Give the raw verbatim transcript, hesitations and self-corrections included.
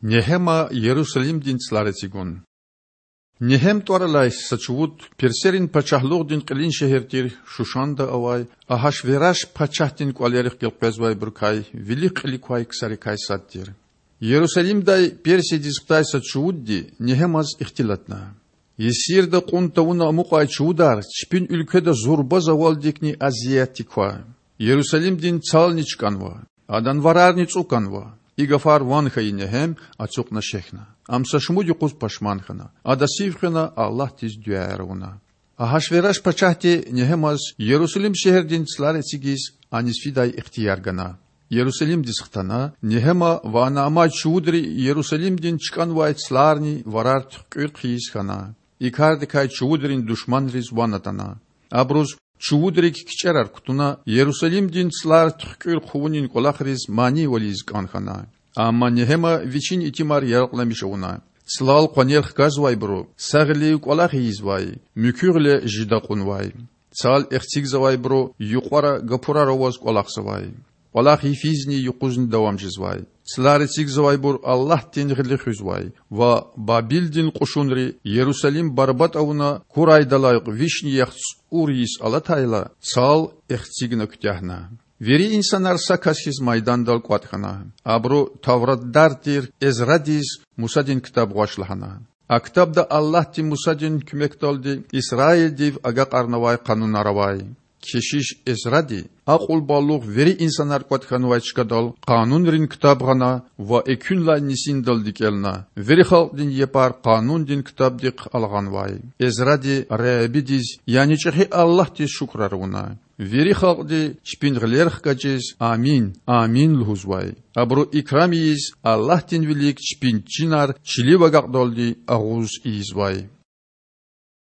Негьема Ярусалимдин цлар эцигун. Негьем тІвар алай са чувуд персерин пачагьлугъдин кьилин шегьер тир Шушанда авай Агьашвераш пачагьдин кІвалерихъ гелкъвезвайбурукай вилик-кьилик квай ксарикай сад тир. Ярусалимдай Персиядиз хтай са чувудди Негьемаз ихтилатна: Есирда кьун тавуна амукьай чувудар чпин уьлкведа зурба завалдикни азиятдик ква. Ярусалимдин цални чкІанва, адан варарни цІу канва. И гафар ван хьайи Негьем ацукьна шехьна. Ам са шумуд юкъуз пашман хьана. Ада сив хвена, Аллагьдиз дуьаяр авуна. Агьашвераш пачагьди Негьемаз Ярусалим шегьердин цлар эцигиз аниз фидай ихтияр гана. Ярусалимдиз хтана, Негьема ва ана амай чувудри Ярусалимдин чкІанвай цларни варар туьхкІуьр хъийиз хьана. И кардикай чувудрин душманриз ван атана. Абуруз чувудрик кичІерар кутуна, Ярусалимдин цлар туьхкІуьр хъувунин кІвалахриз манийвал ийиз кІан хьана. Амма Негьема вичин итимар яракьламиш авуна. Цлал къванер хкажзавайбуру са гъилив кІвалах ийизвай, муькуь гъиле жида кьунвай. Цал эхцигзавайбуру юкьвара гапурар аваз кІвалахзавай. КІвалах йифизни юкъузни давам жезвай. Цлар эцигзавайбур Аллагьдин гъили хуьзвай ва Бабилдин кьушунри Ярусалим барбатІ авуна, курайдалай вишни яхцІур йис алатайла, цал эхцигна куьтягьна. Вири инсанар са кас хьиз майдандал кІватІ хьана. Абуру тавратдар тир Эзрадиз Мусадин ктаб гъваш лагьана. А ктабда Аллагьди Мусадин куьмекдалди Исраилдив агакьарнавай къанунар авай. Кешиш Эзради акьул-балугъ вири инсанар кІватІ хьанвай чкадал Къанунрин ктаб гъана ва экуьнлай нисиндалди кІелна. Вири халкьдин япар Къанундин ктабдихъ алгъанвай. Эзради Худадиз, яни чІехи Аллагьдиз шукурар авуна. Вири халкьди чпин гъилер хкажиз Амин, Амин лугьузвай. Абуру икрам ийиз, Аллагьдин вилик чпин чинар чилив агакьдалди агъуз ийизвай.